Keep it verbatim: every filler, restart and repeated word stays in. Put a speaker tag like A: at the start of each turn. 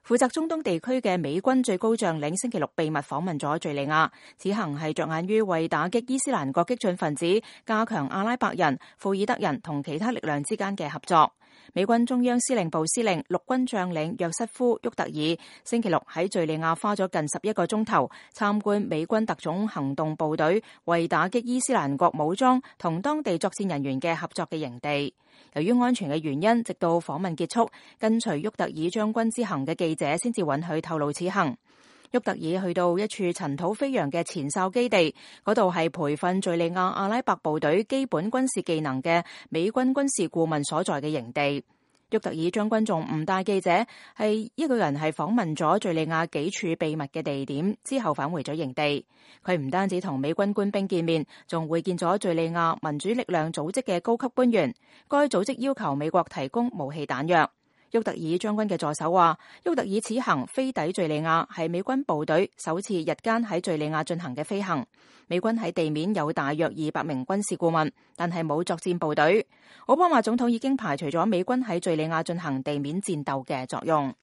A: 負責中東地區嘅美軍最高將領星期六秘密訪問咗敘利亞，此行係着眼於為打擊伊斯蘭國激進分子，加強阿拉伯人、庫爾德人同其他力量之間嘅合作。美軍中央司令部司令陸軍將領約瑟夫·沃特爾星期六喺敘利亞花咗近十一個鐘頭參觀美軍特種行動部隊為打擊伊斯蘭國武裝同當地作戰人員嘅合作嘅營地。由於安全嘅原因，直到訪問結束，跟隨沃特爾將軍之行嘅記者先至允許透露此行。沃特爾去到一處塵土飛揚嘅前哨基地，嗰度係培訓敘利亞阿拉伯部隊基本軍事技能嘅美軍軍事顧問所在嘅營地。沃特爾將軍仲唔帶記者，係一個人係訪問咗敘利亞幾處秘密嘅地點，之後返回咗營地。佢唔單止同美軍官兵見面，仲會見咗敘利亞民主力量組織嘅高級官員。該組織要求美國提供武器彈藥。沃特爾將軍嘅助手話，沃特爾此行飛抵敘利亞係美軍部隊首次日間喺敘利亞進行嘅飛行。美軍喺地面有大約二百名軍事顧問，但係冇作戰部隊。奧巴馬總統已經排除咗美軍喺敘利亞進行地面戰鬥嘅作用。